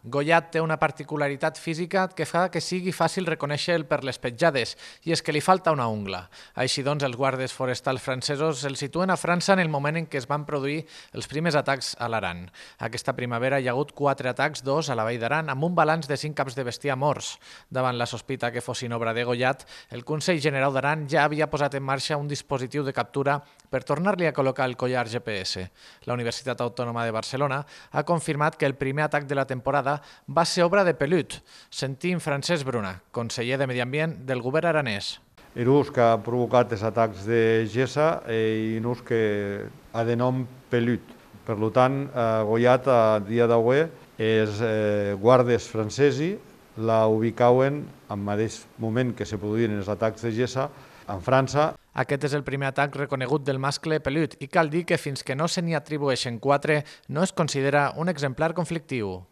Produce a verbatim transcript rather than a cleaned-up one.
Goyat té una particularitat física que fa que sigui fàcil reconèixer-lo per les petjades, i és que li falta una ungla. Així doncs, els guardes forestals francesos el situen a França en el moment en què es van produir els primers atacs a l'Aran. Aquesta primavera hi ha hagut quatre atacs, dos a la Vall d'Aran, amb un balanç de cinc caps de bestiar morts. Davant la sospita que fossin obra de Goyat, el Consell General d'Aran ja havia posat en marxa un dispositiu de captura per tornar-li a col·locar el collar G P S. La Universitat Autònoma de Barcelona ha confirmat que el primer atac de la temporada va ser obra de pelut. Sentim Francesc Bruna, conseller de Medi Ambient del govern aranès. El ús que ha provocat els atacs de gessa i un ús que ha de nom pelut. Per tant, Goyat a dia d'avui els guardes francesos la ubicaven al mateix moment que se produïen els atacs de gessa en França. Aquest és el primer atac reconegut del mascle pelut i cal dir que fins que no se n'hi atribueixen quatre no es considera un exemplar conflictiu.